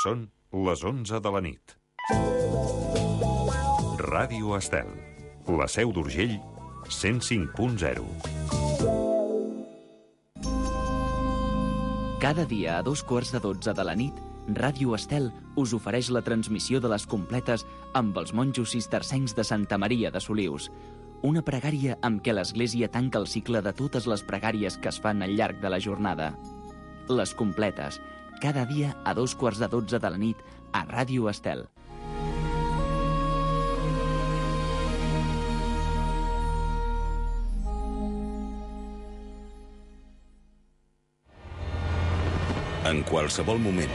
Són les 11 de la nit. Ràdio Estel, la Seu d'Urgell, 105.0. Cada dia a 2:15 de la nit, Ràdio Estel us ofereix la transmissió de les completes amb els monjos cistercencs de Santa Maria de Solius. Una pregària amb què l'Església tanca el cicle de totes les pregàries que es fan al llarg de la jornada. Les completes, cada dia a 2:15 de la nit a Ràdio Estel. En qualsevol moment,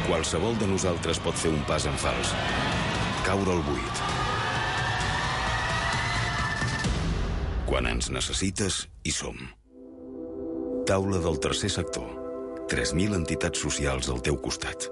qualsevol de nosaltres pot fer un pas en fals, caure al buit. Quan ens necessites, hi som. Taula del tercer sector. 3.000 entitats socials al teu costat.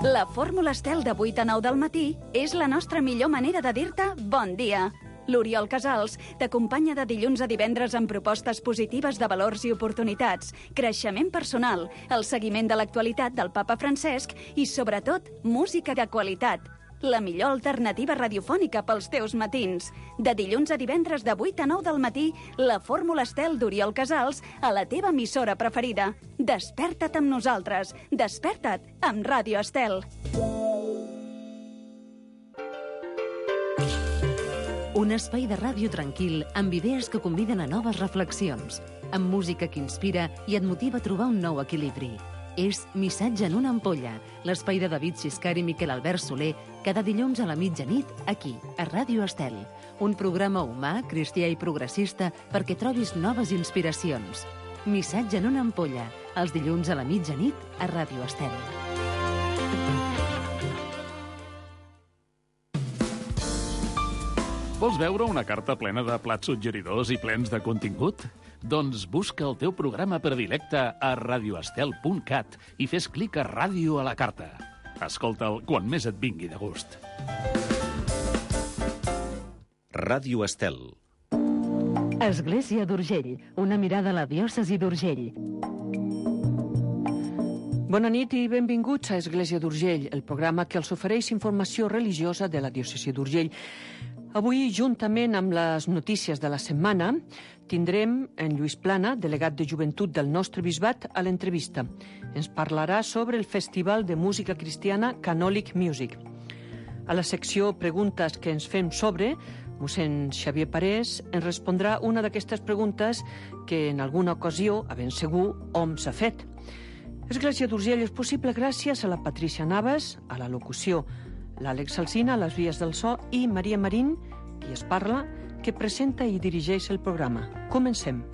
La fórmula Estel de 8 a 9 del matí és la nostra millor manera de dir-te bon dia. L'Oriol Casals t'acompanya de dilluns a divendres amb propostes positives de valors i oportunitats, creixement personal, el seguiment de l'actualitat del papa Francesc i, sobretot, música de qualitat. La millor alternativa radiofònica pels teus matins. De dilluns a divendres de 8 a 9 del matí, la fórmula Estel d'Oriol Casals a la teva emissora preferida. Desperta't amb nosaltres. Desperta't amb Ràdio Estel. Un espai de ràdio tranquil amb idees que conviden a noves reflexions, amb música que inspira i et motiva a trobar un nou equilibri. És Missatge en una ampolla, l'espai de David Xiscar i Miquel Albert Soler, cada dilluns a la mitjanit, aquí, a Ràdio Estel. Un programa humà, cristià i progressista perquè trobis noves inspiracions. Missatge en una ampolla, els dilluns a la mitjanit, a Ràdio Estel. Vols veure una carta plena de plats suggeridors i plens de contingut? Doncs busca el teu programa predilecte a radioestel.cat i fes clic a Ràdio a la carta. Escolta'l quan més et vingui de gust. Ràdio Estel. Església d'Urgell, una mirada a la diòcesi d'Urgell. Bona nit i benvinguts a Església d'Urgell, el programa que els ofereix informació religiosa de la diòcesi d'Urgell. Avui, juntament amb les notícies de la setmana, tindrem en Lluís Plana, delegat de joventut del nostre bisbat, a l'entrevista. Ens parlarà sobre el Festival de Música Cristiana Canòlic Music. A la secció Preguntes que ens fem sobre, mossèn Xavier Parés ens respondrà una d'aquestes preguntes que en alguna ocasió, a ben segur, hom s'ha fet. Església d'Urgell és possible gràcies a la Patrícia Navas, a la locució, l'Àlex Alsina, a les vies del so, i Maria Marín, qui es parla, que presenta i dirigeix el programa. Comencem.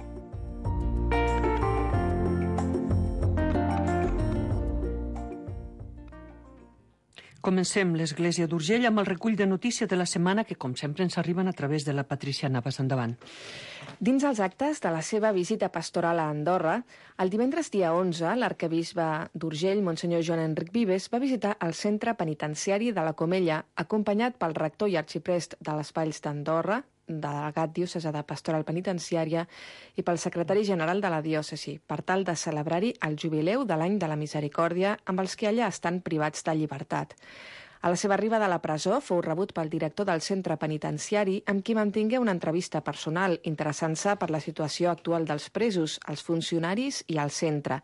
Comencem l'Església d'Urgell amb el recull de notícies de la setmana que, com sempre, ens arriben a través de la Patrícia Navas. Endavant. Dins els actes de la seva visita pastoral a Andorra, el divendres dia 11, l'arquebisbe d'Urgell, Monsenyor Joan Enric Vives, va visitar el centre penitenciari de la Comella, acompanyat pel rector i arxiprest de les Valls d'Andorra, delegat diocesà de Pastoral Penitenciària, i pel secretari general de la diòcesi, per tal de celebrar-hi el jubileu de l'any de la Misericòrdia amb els que allà estan privats de llibertat. A la seva arribada a la presó fou rebut pel director del centre penitenciari, amb qui mantingué una entrevista personal interessant-se per la situació actual dels presos, els funcionaris i el centre.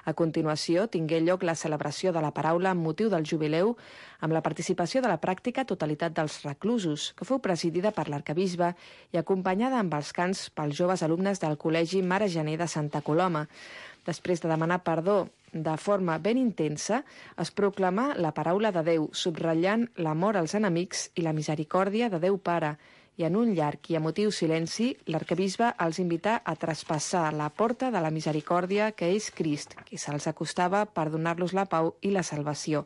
A continuació, tingué lloc la celebració de la paraula amb motiu del jubileu, amb la participació de la pràctica totalitat dels reclusos, que fou presidida per l'arquebisbe i acompanyada amb els cants pels joves alumnes del Col·legi Mare Gener de Santa Coloma. Després de demanar perdó de forma ben intensa, es proclamà la paraula de Déu, subratllant l'amor als enemics i la misericòrdia de Déu Pare, i en un llarg i emotiu silenci, l'arquebisbe els invità a traspassar la porta de la misericòrdia que és Crist, que se'ls acostava per donar-los la pau i la salvació.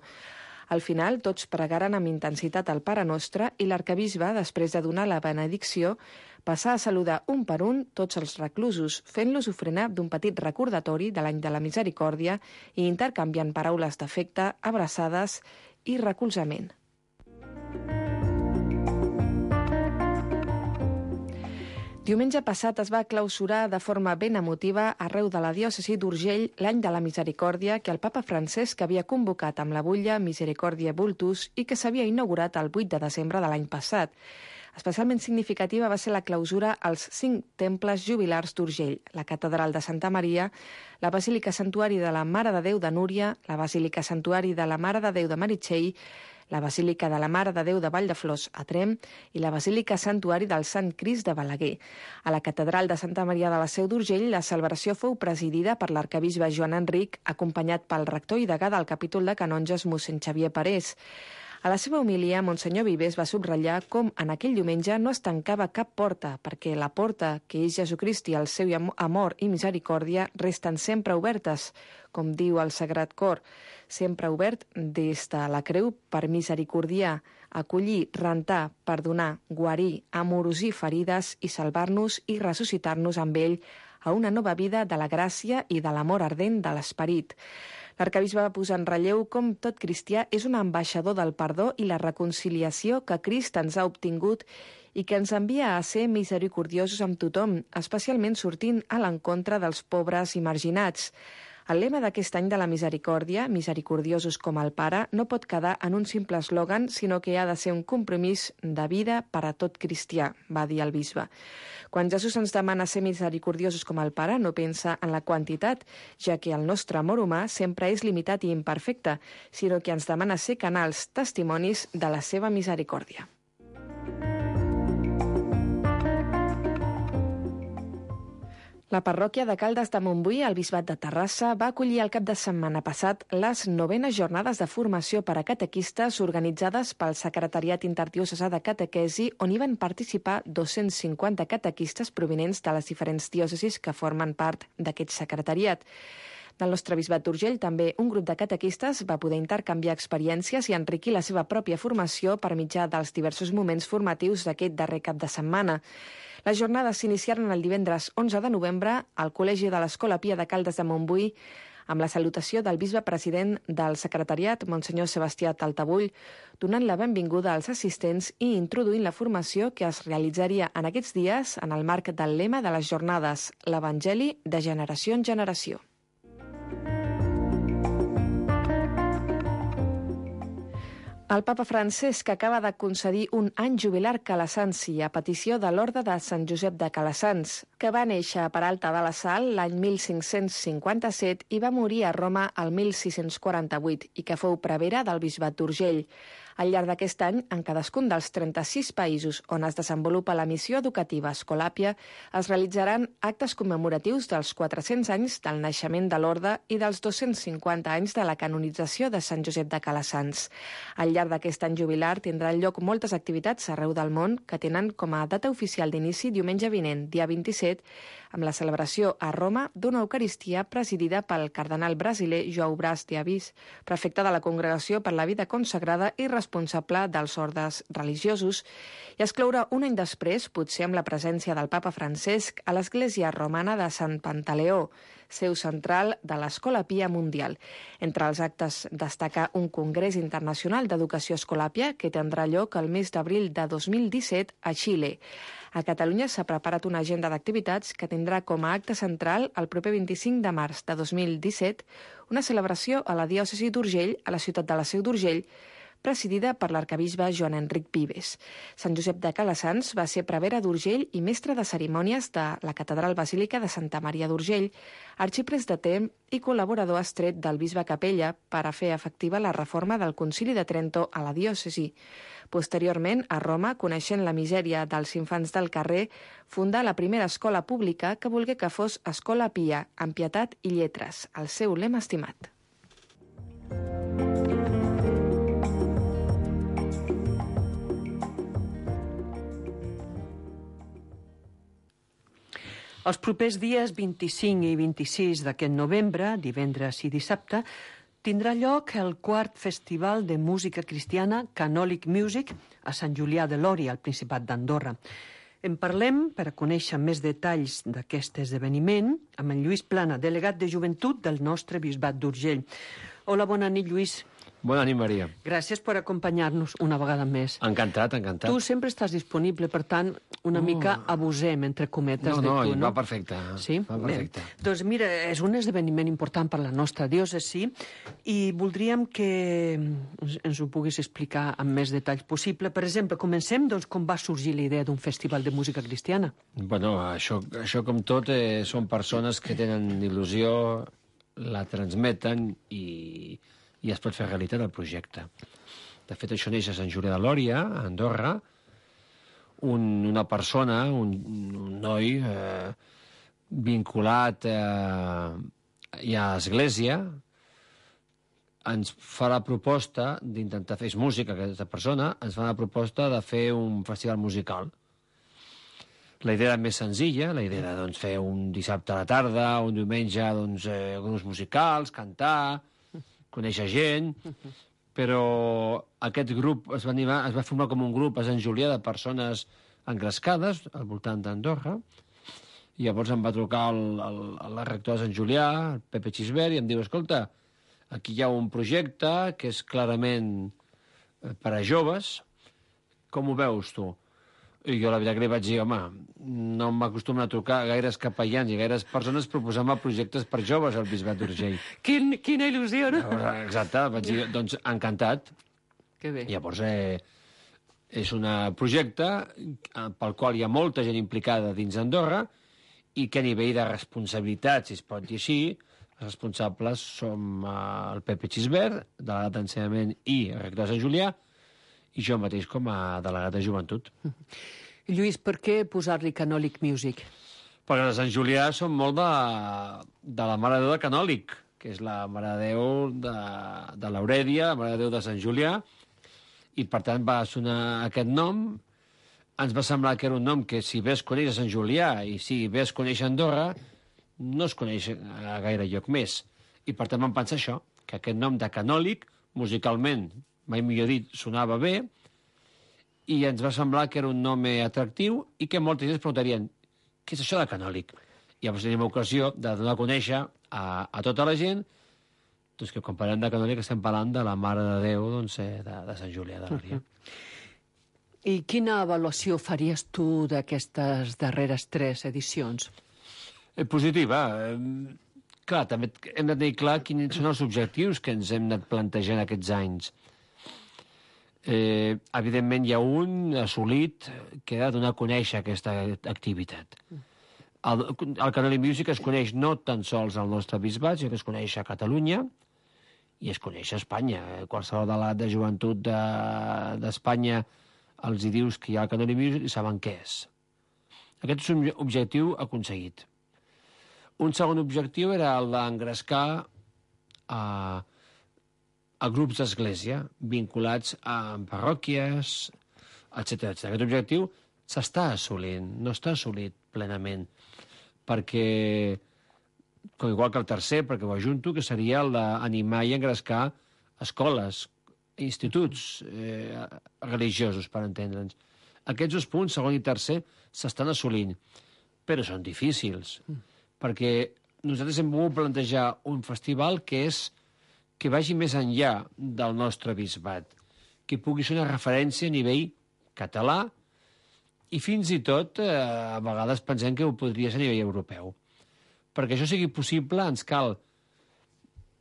Al final, tots pregaren amb intensitat el Pare Nostre i l'arquebisbe, després de donar la benedicció, passà a saludar un per un tots els reclusos, fent-los ofrenar d'un petit recordatori de l'any de la misericòrdia i intercanviant paraules d'afecte, abraçades i recolzament. Diumenge passat es va clausurar de forma ben emotiva arreu de la diòcesi d'Urgell l'any de la misericòrdia que el papa Francesc havia convocat amb la butlla Misericordiae Vultus i que s'havia inaugurat el 8 de desembre de l'any passat. Especialment significativa va ser la clausura als 5 temples jubilars d'Urgell, la catedral de Santa Maria, la Basílica Santuari de la Mare de Déu de Núria, la Basílica Santuari de la Mare de Déu de Meritxell, la Basílica de la Mare de Déu de Valldeflors a Tremp i la Basílica Santuari del Sant Crist de Balaguer. A la catedral de Santa Maria de la Seu d'Urgell, la celebració fou presidida per l'arquebisbe Joan Enric, acompanyat pel rector i degà del capítol de canonges mossèn Xavier Parés. A la seva homilia, Monsenyor Vives va subratllar com en aquell diumenge no es tancava cap porta, perquè la porta, que és Jesucrist i el seu amor i misericòrdia, resten sempre obertes, com diu el Sagrat Cor, sempre obert des de la creu per misericordiar, acollir, rentar, perdonar, guarir, amorosir ferides i salvar-nos i ressuscitar-nos amb ell a una nova vida de la gràcia i de l'amor ardent de l'esperit. L'arquebisbe va posar en relleu com tot cristià és un ambaixador del perdó i la reconciliació que Crist ens ha obtingut i que ens envia a ser misericordiosos amb tothom, especialment sortint a l'encontre dels pobres i marginats. El lema d'aquest any de la misericòrdia, misericordiosos com el Pare, no pot quedar en un simple eslògan, sinó que ha de ser un compromís de vida per a tot cristià, va dir el bisbe. Quan Jesús ens demana ser misericordiosos com el Pare, no pensa en la quantitat, ja que el nostre amor humà sempre és limitat i imperfecte, sinó que ens demana ser canals, testimonis de la seva misericòrdia. La parròquia de Caldes de Montbui, al Bisbat de Terrassa, va acollir el cap de setmana passat les 9enes jornades de formació per a catequistes organitzades pel Secretariat Interdiocesà de Catequesi, on hi van participar 250 catequistes provinents de les diferents diòcesis que formen part d'aquest secretariat. Del nostre Bisbat d'Urgell, també un grup de catequistes va poder intercanviar experiències i enriquir la seva pròpia formació per mitjà dels diversos moments formatius d'aquest darrer cap de setmana. Les jornades s'iniciaren el divendres 11 de novembre al Col·legi de l'Escola Pia de Caldes de Montbui amb la salutació del bisbe president del secretariat, Monsenyor Sebastià Taltabull, donant la benvinguda als assistents i introduint la formació que es realitzaria en aquests dies en el marc del lema de les jornades, l'Evangeli de generació en generació. El papa Francesc acaba de concedir un any jubilar calassanci a petició de l'Orde de Sant Josep de Calassans, que va néixer a Peralta de la Sal l'any 1557 i va morir a Roma el 1648 i que fou prevere del Bisbat d'Urgell. Al llarg d'aquest any, en cadascun dels 36 països on es desenvolupa la missió educativa Escolàpia, es realitzaran actes commemoratius dels 400 anys del naixement de l'Orde i dels 250 anys de la canonització de Sant Josep de Calassans. Al llarg d'aquest any jubilar tindran lloc moltes activitats arreu del món que tenen com a data oficial d'inici diumenge vinent, dia 27, amb la celebració a Roma d'una Eucaristia presidida pel cardenal brasiler João Brás de Assis, prefecte de la Congregació per la Vida Consagrada i responsable dels ordes religiosos, i es clourà un any després, potser amb la presència del papa Francesc, a l'església romana de Sant Pantaleó, seu central de l'Escola Pia Mundial. Entre els actes destaca un congrés internacional d'educació escolàpia que tindrà lloc el mes d'abril de 2017 a Xile. A Catalunya s'ha preparat una agenda d'activitats que tindrà com a acte central el proper 25 de març de 2017 una celebració a la diòcesi d'Urgell, a la ciutat de la Seu d'Urgell, presidida per l'arquebisbe Joan Enric Vives. Sant Josep de Calassans va ser prevere d'Urgell i mestre de cerimònies de la Catedral Basílica de Santa Maria d'Urgell, arxiprest de Tremp i col·laborador estret del bisbe Capella per a fer efectiva la reforma del Concili de Trento a la diòcesi. Posteriorment, a Roma, coneixent la misèria dels infants del carrer, fundà la primera escola pública que volgué que fos Escola Pia, amb pietat i lletres, el seu lema estimat. Els propers dies 25 i 26 d'aquest novembre, divendres i dissabte, tindrà lloc el 4 Festival de Música Cristiana Canòlic Music a Sant Julià de Lòria, al Principat d'Andorra. En parlem, per a conèixer més detalls d'aquest esdeveniment, amb en Lluís Plana, delegat de joventut del nostre Bisbat d'Urgell. Hola, bona nit, Lluís. Bona nit, Maria. Gràcies per acompanyar-nos una vegada més. Encantat, encantat. Tu sempre estàs disponible, per tant, una mica abusem, entre cometes, de tu, no? Va perfecte. Sí? Va perfecte. Bé. Doncs mira, és un esdeveniment important per la nostra diòcesi i voldríem que ens ho puguis explicar amb més detalls possible. Per exemple, comencem, doncs, com va sorgir la idea d'un festival de música cristiana. Bueno, això com tot, són persones que tenen il·lusió, la transmeten i es pot fer realitat el projecte. De fet, això neix a Sant Julià de Lòria, a Andorra. Una persona, un noi vinculat ja a l'església, ens fa la proposta d'intentar fer música, aquesta persona, ens fa la proposta de fer un festival musical. La idea era més senzilla, la idea era fer un dissabte a la tarda, un diumenge, grups musicals, cantar, conèixer gent, però aquest grup es va formar com un grup a Sant Julià de persones engrescades al voltant d'Andorra, i llavors em va trucar el rector de Sant Julià, el Pepe Xisbert, i em diu, escolta, aquí hi ha un projecte que és clarament per a joves, com ho veus tu? I jo la veritat que li vaig dir, home, no m'acostumen a trucar gaires capellans i gaires persones proposant-me projectes per joves al Bisbat d'Urgell. Quina il·lusió, no? Exacte, vaig dir, doncs encantat. Que bé. Llavors, és un projecte pel qual hi ha molta gent implicada dins d'Andorra i que a nivell de responsabilitat, si es pot dir així, els responsables som el Pepe Xisbert, delegat d'ensenyament i rector de Sant Julià, i jo mateix com a delegat de joventut. Lluís, per què posar-li Canòlic Music? Perquè a Sant Julià som molt de la Mare de Déu de Canòlic, que és la Mare de Déu de l'Aurèdia, la Mare de Déu de Sant Julià, i per tant va sonar aquest nom. Ens va semblar que era un nom que si bé es coneix a Sant Julià i si bé es coneix a Andorra, no es coneix a gaire lloc més. I per tant vam pensar això, que aquest nom de Canòlic, musicalment, mai millor dit, sonava bé, i ens va semblar que era un nom atractiu i que molta gent es preguntarien què és això de Canòlic? I llavors tenim ocasió de donar a conèixer a tota la gent doncs que quan parlem de Canòlic estem parlant de la Mare de Déu de Sant Julià de Lòria. I quina avaluació faries tu d'aquestes darreres 3 edicions? Positiva. Clar, també hem de tenir clar quins són els objectius que ens hem anat plantejant aquests anys. Evidentment hi ha un assolit que ha de donar a conèixer aquesta activitat. El Canòlic Music es coneix no tan sols al nostre bisbat, sinó que es coneix a Catalunya i es coneix a Espanya. Qualsevol delegat de joventut d'Espanya els hi dius que hi ha el Canòlic Music i saben què és. Aquest és un objectiu aconseguit. Un segon objectiu era el d'engrescar a grups d'església vinculats a parròquies, etc. Aquest objectiu s'està assolint, no està assolit plenament, perquè, com igual que el tercer, perquè ho ajunto, que seria el d'animar i engrescar escoles, instituts religiosos, per entendre'ns. Aquests 2 punts, segon i tercer, s'estan assolint, però són difícils, perquè nosaltres hem volgut plantejar un festival que vagi més enllà del nostre bisbat, que pugui ser una referència a nivell català i fins i tot a vegades pensem que ho podria ser a nivell europeu. Perquè això sigui possible ens cal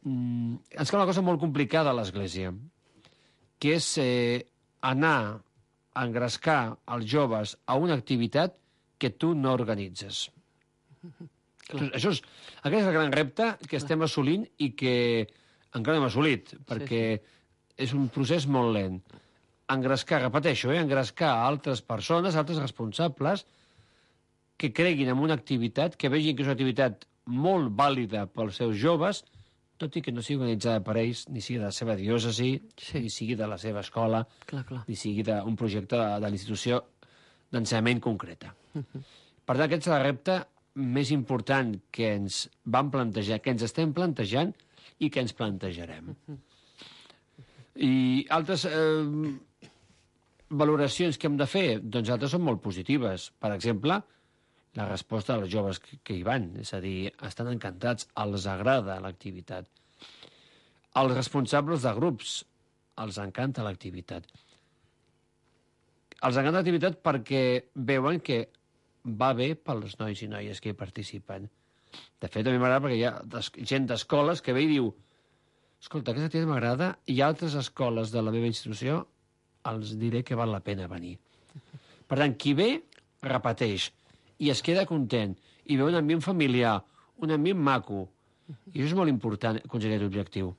una cosa molt complicada a l'Església, que és anar a engrescar els joves a una activitat que tu no organitzes. Aquest és el gran repte que estem assolint i que encara no hem assolit, perquè és un procés molt lent. Engrescar, repeteixo, engrescar altres persones, altres responsables, que creguin en una activitat, que vegin que és una activitat molt vàlida pels seus joves, tot i que no sigui organitzada per ells, ni sigui de la seva diòcesi, ni sigui de la seva escola, ni sigui d'un projecte de l'institució d'ensenyament concreta. Per tant, aquest és el repte més important que ens vam plantejar, que ens estem plantejant i que ens plantejarem. I altres valoracions que hem de fer, doncs altres són molt positives. Per exemple, la resposta dels joves que hi van, és a dir, estan encantats, els agrada l'activitat. Els responsables de grups els encanta l'activitat. Els encanta l'activitat perquè veuen que va bé pels nois i noies que hi participen. De fet, a mi m'agrada perquè hi ha gent d'escoles que ve i diu escolta, aquesta activitat m'agrada i altres escoles de la meva institució els diré que val la pena venir. Per tant, qui ve, repeteix i es queda content i veu un ambient familiar, un ambient maco. I això és molt important, aconseguir aquest objectiu.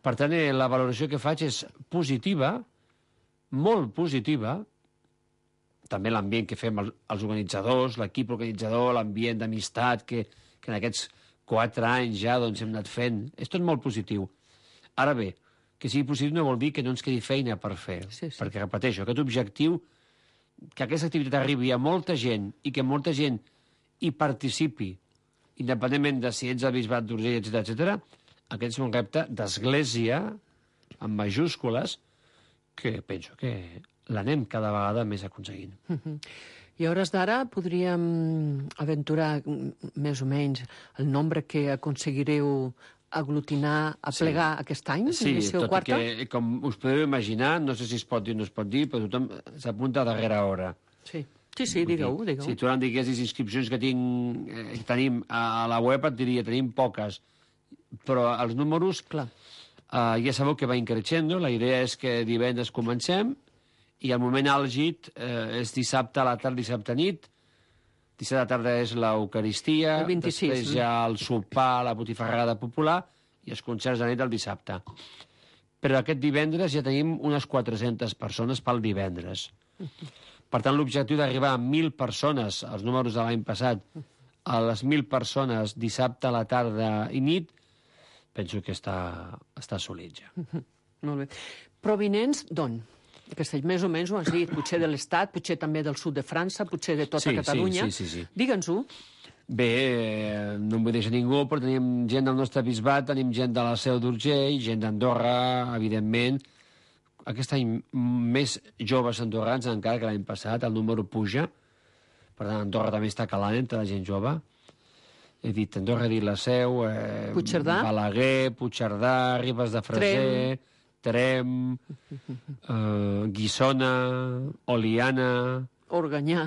Per tant, la valoració que faig és positiva, molt positiva. També l'ambient que fem els organitzadors, l'equip organitzador, l'ambient d'amistat que en aquests 4 anys ja doncs, hem anat fent. És tot molt positiu. Ara bé, que sigui positiu no vol dir que no ens quedi feina per fer. Sí. Perquè, repeteixo, aquest objectiu, que aquesta activitat arribi a molta gent i que molta gent hi participi, independentment de si ets el Bisbat d'Urgell, etc., aquest és un repte d'església, amb majúscules, que penso que l'anem cada vegada més aconseguint. I a hores d'ara podríem aventurar més o menys el nombre que aconseguireu aglutinar, aplegar aquest any? Sí, tot i que, com us podeu imaginar, no sé si es pot dir o no es pot dir, però tothom s'apunta a darrera hora. Sí, digueu. Si tu ara em diguessis inscripcions que tenim a la web, et diria, tenim poques. Però els números, clar, ja sabeu que va increixendo. La idea és que divendres comencem i el moment àlgid és dissabte a la tarda, dissabte nit. Dissabte a la tarda és l'Eucaristia, després ja el sopar, la botifarrada popular i els concerts de nit el dissabte. Però aquest divendres ja tenim unes 400 persones pel divendres. Per tant, l'objectiu d'arribar a 1.000 persones, els números de l'any passat, a les 1.000 persones dissabte a la tarda i nit, penso que està assolit ja. Molt bé. Provinents d'on? Castell, més o menys ho has dit, potser de l'Estat, potser també del sud de França, potser de tota Catalunya. Sí. Digue'ns-ho. Bé, no em vull deixar ningú, però tenim gent del nostre bisbat, tenim gent de la Seu d'Urgell, gent d'Andorra, evidentment. Aquest any més joves andorrans encara que l'any passat, el número puja. Per tant, Andorra també està calant entre la gent jove. He dit Andorra, he dit la Seu, Puigcerdà, Balaguer, Puigcerdà, Ribes de Freser, Trem, Guissona, Oliana... Organyà...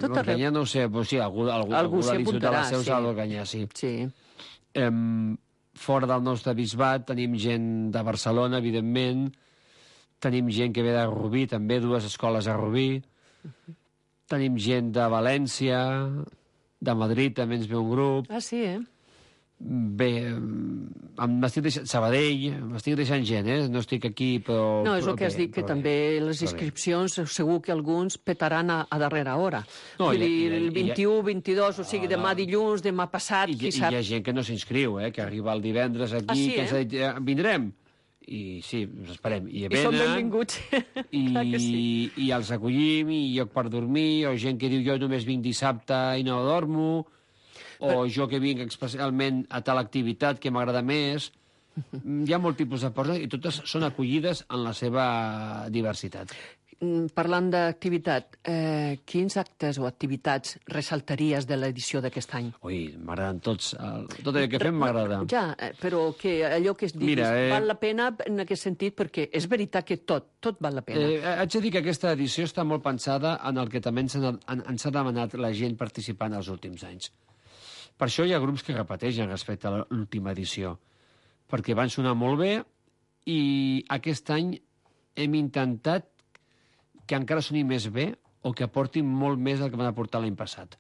Organyà no ho sé, però sí, algú de l'Institut de la Seu s'ha d'Organyà, sí. Fora del nostre bisbat tenim gent de Barcelona, evidentment, tenim gent que ve de Rubí, també 2 escoles a Rubí, tenim gent de València, de Madrid també ens ve un grup... Ah, sí, Bé, m'estic deixant... Sabadell, m'estic deixant gent, no estic aquí, però... No, és el que has dit, que també les inscripcions segur que alguns petaran a darrera hora. Vull dir, el 21, 22, o sigui, demà dilluns, demà passat, qui sap... I hi ha gent que no s'inscriu, que arriba el divendres aquí, que ens ha dit, vindrem. I sí, us esperem. I són benvinguts. I els acollim, i lloc per dormir, o gent que diu jo només vinc dissabte i no dormo... o jo que vinc especialment a tal activitat que m'agrada més. Hi ha molt tipus de persones i totes són acollides en la seva diversitat. Parlant d'activitat, quins actes o activitats ressaltaries de l'edició d'aquest any? Ui, m'agraden tots. Tot allò que fem m'agrada. Ja, però que allò que es diguis val la pena en aquest sentit, perquè és veritat que tot val la pena. Haig de dir que aquesta edició està molt pensada en el que també ens ha demanat la gent participant els últims anys. Per això hi ha grups que repeteixen respecte a l'última edició, perquè van sonar molt bé i aquest any hem intentat que encara soni més bé o que aportin molt més del que van aportar l'any passat.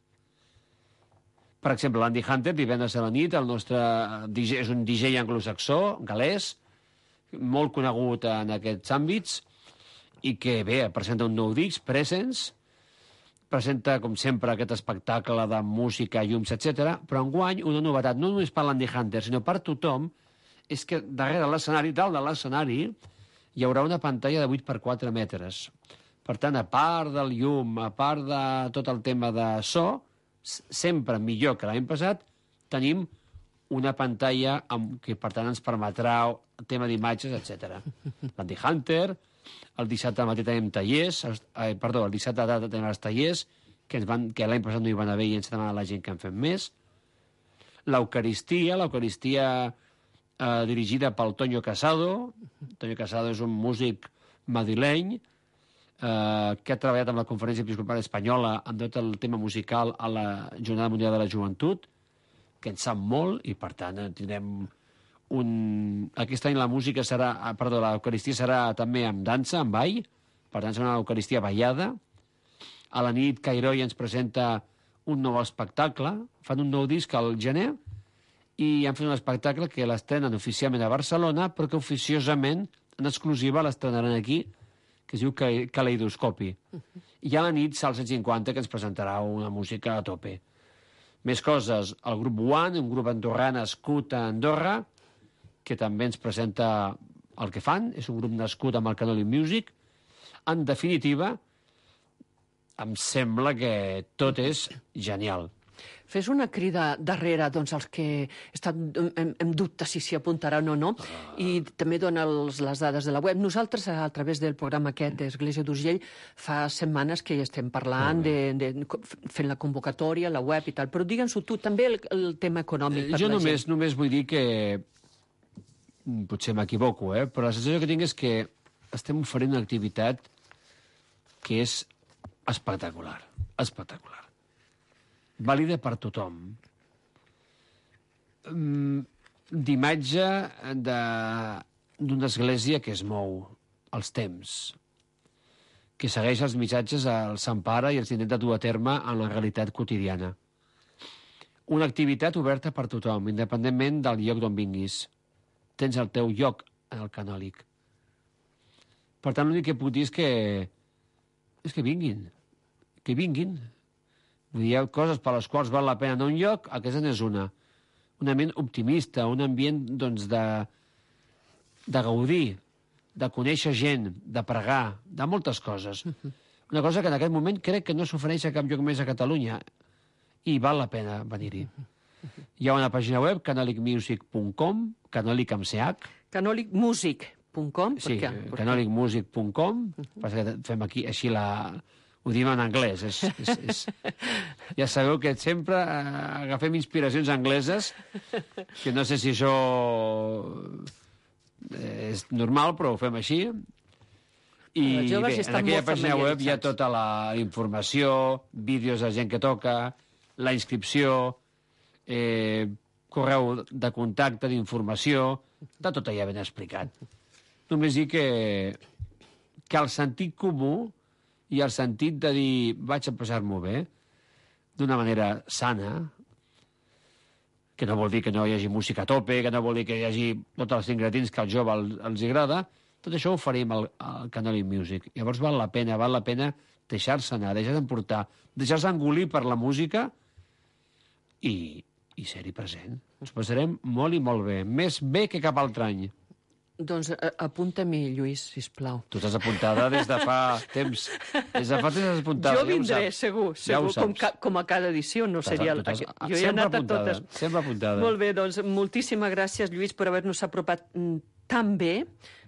Per exemple, l'Andy Hunter, divendres a la nit, el nostre DJ, és un DJ anglosaxó, galès, molt conegut en aquests àmbits, i que, bé, presenta un nou disc, Presence, presenta, com sempre, aquest espectacle de música, llums, etc. Però enguany una novetat, no només per l'Andy Hunter, sinó per tothom, és que darrere l'escenari, dalt de l'escenari, hi haurà una pantalla de 8x4 metres. Per tant, a part del llum, a part de tot el tema de so, sempre millor que l'any passat, tenim una pantalla que, per tant, ens permetrà el tema d'imatges, etc. L'Andy Hunter... El dissabte al matí tenim tallers, el dissabte a la tarda tenim els tallers, que l'any passat no hi van haver i ens demana la gent que en fem més. L'Eucaristia dirigida pel Toño Casado. Toño Casado és un músic madrileny que ha treballat amb la Conferència Episcopal Espanyola en tot el tema musical a la Jornada Mundial de la Joventut, que en sap molt, i per tant tindrem aquest any l'Eucaristia serà també amb dansa, amb ball, per tant serà una Eucaristia ballada. A la nit Cairoi ens presenta un nou espectacle, fan un nou disc al gener, i han fet un espectacle que l'estrenen oficialment a Barcelona, però que oficiosament, en exclusiva, l'estrenaran aquí, que es diu Caleidoscopi. I a la nit, Salsa 50, que ens presentarà una música a tope. Més coses, el grup One, un grup andorrà nascut a Andorra, que també ens presenta el que fan, és un grup nascut amb el Canoli Music. En definitiva, em sembla que tot és genial. Fes una crida darrere als que estan en dubte si s'hi apuntaran o no, i també dona les dades de la web. Nosaltres, a través del programa aquest d'Església d'Urgell, fa setmanes que hi estem parlant, fent la convocatòria, la web i tal, però digue'ns-ho tu, també el tema econòmic per jo la gent. Només vull dir que, potser m'equivoco, però la sensació que tinc és que estem oferint una activitat que és espectacular, espectacular. Vàlida per tothom. D'imatge d'una església que es mou als temps, que segueix els missatges al Sant Pare i els intenta dur a terme en la realitat quotidiana. Una activitat oberta per tothom, independentment del lloc d'on vinguis. Tens el teu lloc en el canòlic. Per tant, l'únic que puc dir és que vinguin. Que vinguin. Hi ha coses per les quals val la pena anar a un lloc, aquesta n'és una. Un ambient optimista, un ambient, de gaudir, de conèixer gent, de pregar, de moltes coses. Una cosa que en aquest moment crec que no s'ofereix a cap lloc més a Catalunya, i val la pena venir-hi. Hi ha una pàgina web, canolicmusic.com, canolic amb CH. Canolicmusic.com. Sí, canolicmusic.com. Fem aquí així ho diem en anglès. Ja sabeu que sempre agafem inspiracions angleses, que no sé si això és normal, però ho fem així. I bé, en aquella pàgina web hi ha tota la informació, vídeos de gent que toca, la inscripció, correu de contacte, d'informació, està tot allà ben explicat. Només dir que el sentit comú i el sentit de dir vaig a passar-m'ho bé, d'una manera sana, que no vol dir que no hi hagi música a tope, que no vol dir que hi hagi tots els ingredients que al jove els agrada, tot això ho farim al Canoli Music. Llavors val la pena deixar-se anar, deixar-se emportar, deixar-se engolir per la música i ser-hi present. Ens passarem molt i molt bé, més bé que cap altre any. Doncs apunta-m'hi, Lluís, sisplau. Tu estàs apuntada des de fa temps. Des de fa temps estàs apuntada. Jo vindré, segur, com a cada edició. No seria jo he anat a totes. Sempre apuntada. Molt bé, doncs moltíssimes gràcies, Lluís, per haver-nos apropat tan bé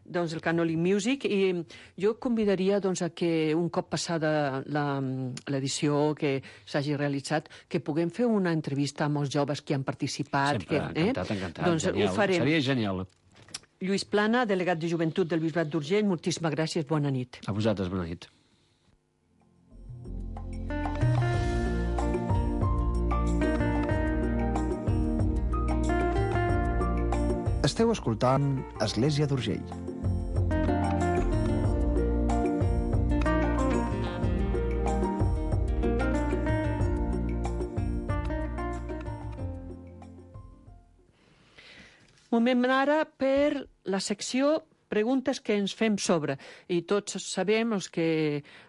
el Canoli Music, i jo convidaria a que un cop passada l'edició que s'hagi realitzat, que puguem fer una entrevista amb els joves que han participat. Sempre, encantat. Doncs ho farem. Seria genial. Lluís Plana, delegat de Joventut del Bisbat d'Urgell, moltíssimes gràcies, bona nit. A vosaltres, bona nit. Esteu escoltant Església d'Urgell. Moment ara per la secció preguntes que ens fem sobre. I tots sabem, els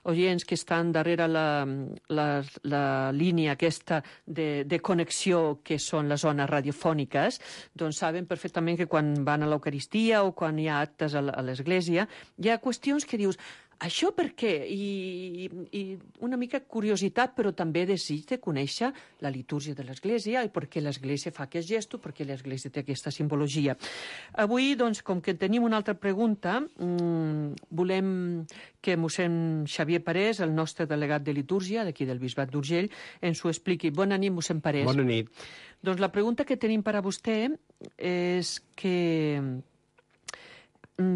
oients que estan darrere la línia aquesta de connexió que són les zones radiofòniques, doncs saben perfectament que quan van a l'Eucaristia o quan hi ha actes a l'església, hi ha qüestions que dius, Això per què? I una mica curiositat, però també desig de conèixer la litúrgia de l'Església i per què l'Església fa aquest gest, per què l'Església té aquesta simbologia. Avui, doncs, com que tenim una altra pregunta, volem que mossèn Xavier Parés, el nostre delegat de litúrgia d'aquí del Bisbat d'Urgell, ens ho expliqui. Bona nit, mossèn Parés. Bona nit. Doncs la pregunta que tenim per a vostè és que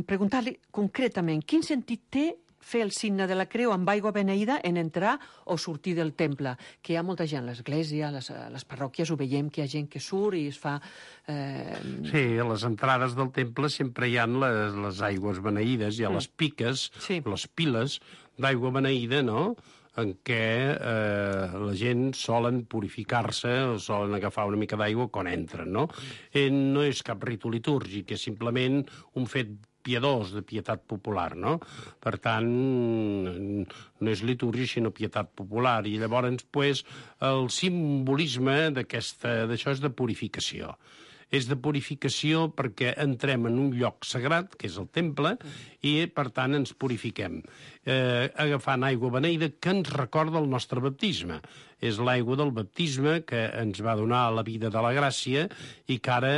preguntar-li concretament quin sentit té fer el signe de la creu amb aigua beneïda en entrar o sortir del temple, que hi ha molta gent a l'església, a les parròquies ho veiem, que hi ha gent que surt i es fa... Sí, a les entrades del temple sempre hi ha les aigües beneïdes, hi ha les piques, les piles d'aigua beneïda, no?, en què la gent solen purificar-se o solen agafar una mica d'aigua quan entren, no? No és cap ritu litúrgic, és simplement un fet piadós, de pietat popular, no? Per tant, no és litúrgia, sinó pietat popular. I llavors, pues, el simbolisme d'això és de purificació. És de purificació perquè entrem en un lloc sagrat, que és el temple, i, per tant, ens purifiquem, agafant aigua beneïda que ens recorda el nostre baptisme. És l'aigua del baptisme que ens va donar la vida de la gràcia i que ara,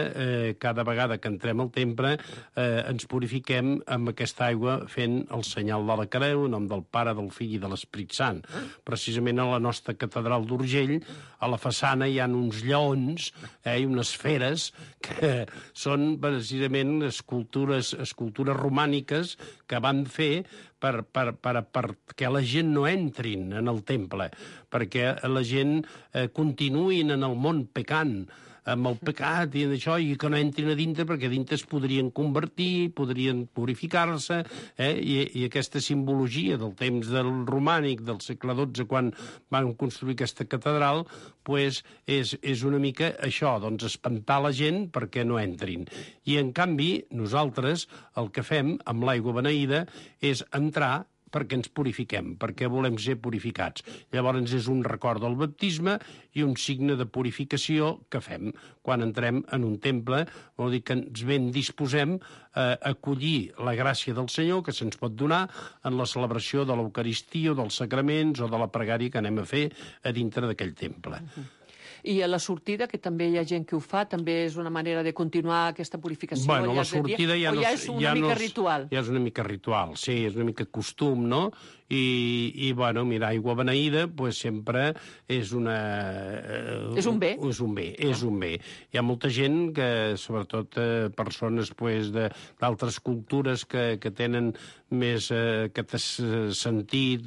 cada vegada que entrem al temple, ens purifiquem amb aquesta aigua fent el senyal de la creu, en nom del Pare, del Fill i de l'Esperit Sant. Precisament a la nostra catedral d'Urgell, a la façana hi ha uns lleons i unes feres que són precisament escultures romàniques que van fer perquè la gent no entrin en el temple, perquè la gent continuïn en el món pecant, amb el pecat i d'això, i que no entrin a dintre, perquè a dintre es podrien convertir, podrien purificar-se, i aquesta simbologia del temps del romànic, del segle XII, quan van construir aquesta catedral, pues, és una mica això, doncs espantar la gent perquè no entrin. I, en canvi, nosaltres el que fem amb l'aigua beneïda és entrar perquè ens purifiquem, perquè volem ser purificats. Llavors és un record del baptisme i un signe de purificació que fem quan entrem en un temple, vol dir que ens ben disposem a acollir la gràcia del Senyor que se'ns pot donar en la celebració de l'Eucaristia o dels sacraments o de la pregària que anem a fer a dintre d'aquell temple. I a la sortida, que també hi ha gent que ho fa, també és una manera de continuar aquesta purificació? Bueno, la sortida ja és una mica ritual? Ja és una mica ritual, sí, és una mica costum, no? I bueno, mira, aigua beneïda, pues sempre és una... És un bé. És un bé, és un bé. Hi ha molta gent que, sobretot persones pues, d'altres cultures que tenen més aquest sentit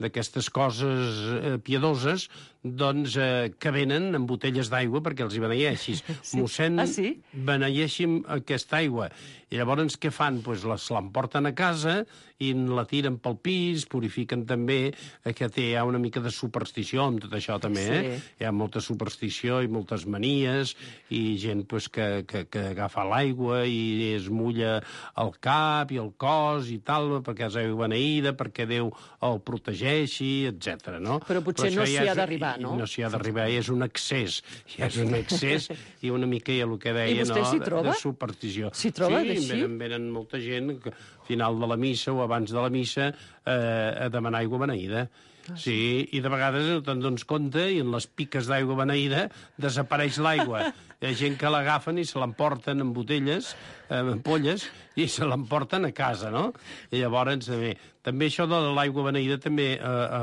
d'aquestes coses piadoses, doncs que venen amb botelles d'aigua perquè els hi beneeixis. Sí. Mossèn, sí? beneeixin aquesta aigua. I llavors què fan? Pues l'emporten a casa i la tiren pel pis, purifiquen també, que hi ha una mica de superstició amb tot això també, Hi ha molta superstició i moltes manies, i gent pues, que agafa l'aigua i es mulla el cap i el cos i tal, perquè és aigua beneïda, perquè Déu el protegeixi, etc. No? Però potser no s'hi ha d'arribar, no? No s'hi ha d'arribar, és un excés. Ja és un excés i una mica el que deia, I vostè s'hi troba? De superstició. S'hi troba, sí, venen molta gent al final de la missa o abans de la missa a demanar aigua beneïda. Sí, i de vegades no te'n dones compte i en les piques d'aigua beneïda desapareix l'aigua. Hi ha gent que l'agafen i se l'emporten en botelles, en ampolles, i se l'emporten a casa, no? I llavors també això de l'aigua beneïda també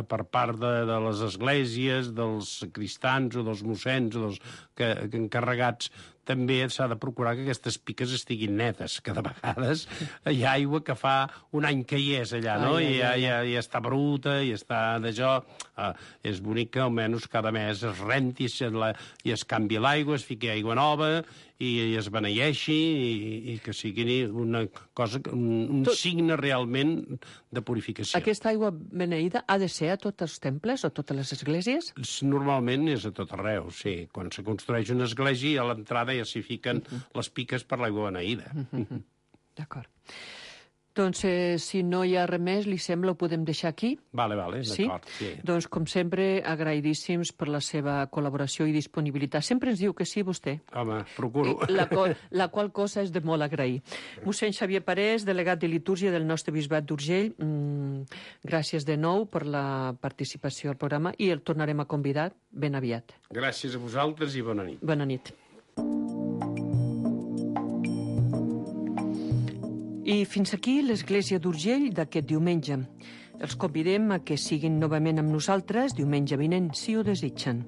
per part de les esglésies, dels cristans o dels mossens o dels encarregats, també s'ha de procurar que aquestes piques estiguin netes, que de vegades hi ha aigua que fa un any que hi és allà, no? I ja està bruta, i està d'això. És bonic que almenys cada mes es renti i es canvi l'aigua, es fiqui aigua nova i es beneeixi i que sigui una cosa, un signe realment de purificació. Aquesta aigua beneïda ha de ser a tots els temples o totes les esglésies? Normalment és a tot arreu, sí. Quan se construeix una església, a l'entrada ja s'hi fiquen les piques per l'aigua beneïda. D'acord. Doncs, si no hi ha res més, li sembla, ho podem deixar aquí? Vale, d'acord. Sí? Doncs, com sempre, agraïdíssims per la seva col·laboració i disponibilitat. Sempre ens diu que sí, vostè. Home, procuro. La qual cosa és de molt agrair. Mossèn Xavier Parés, delegat de litúrgia del nostre bisbat d'Urgell, gràcies de nou per la participació al programa i el tornarem a convidar ben aviat. Gràcies a vosaltres i bona nit. Bona nit. I fins aquí l'Església d'Urgell d'aquest diumenge. Els convidem a que siguin novament amb nosaltres diumenge vinent, si ho desitgen.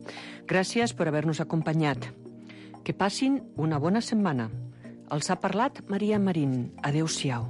Gràcies per haver-nos acompanyat. Que passin una bona setmana. Els ha parlat Maria Marín. Adéu-siau.